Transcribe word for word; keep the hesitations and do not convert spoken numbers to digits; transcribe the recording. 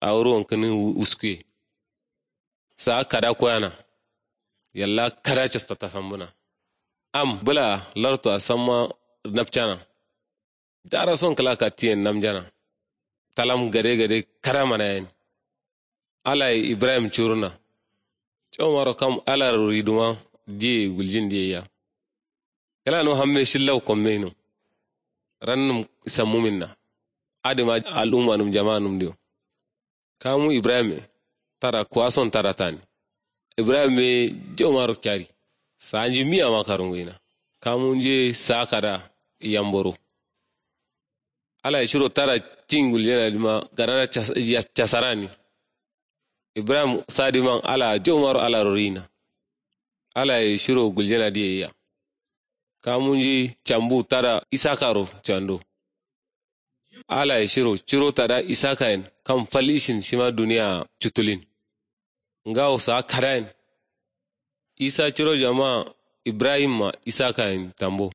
Awuru wankǝnin wuskuye. Saa kada koyana. Yalla kada casta tasambǝna. Am bǝla lartu asamma napcana. Darason kǝla kattiyen namjana. Talam gade gade kada manayen. Alaye ibrahim curuna. Caumaro kam alarori duma diye guljin diye ya. Kǝla no hamme shillau kommeino. Rannum sammuminna. Adǝma al'ummanum jama'anum diyo. Kamu ibrahim e tada kuwason tada tani. Ibrahim e jaumaro cari. Sanji miya ma karunguina. Kamu nje sa kada yamboro. Ala shiro tada cin guljena dima gadana casarani. Ibrahim sadiman ala jaumaro ala rorina. Ala shiro guljena diye ya. Kamu nji cambu tada isaka ro cando. Ala ye shiro ciro tada isaka yen kam fal ishin shima duniya cutulin. Ngawo saa kada yen. Isa ciro jama ibrahim ma isaka yen tambo.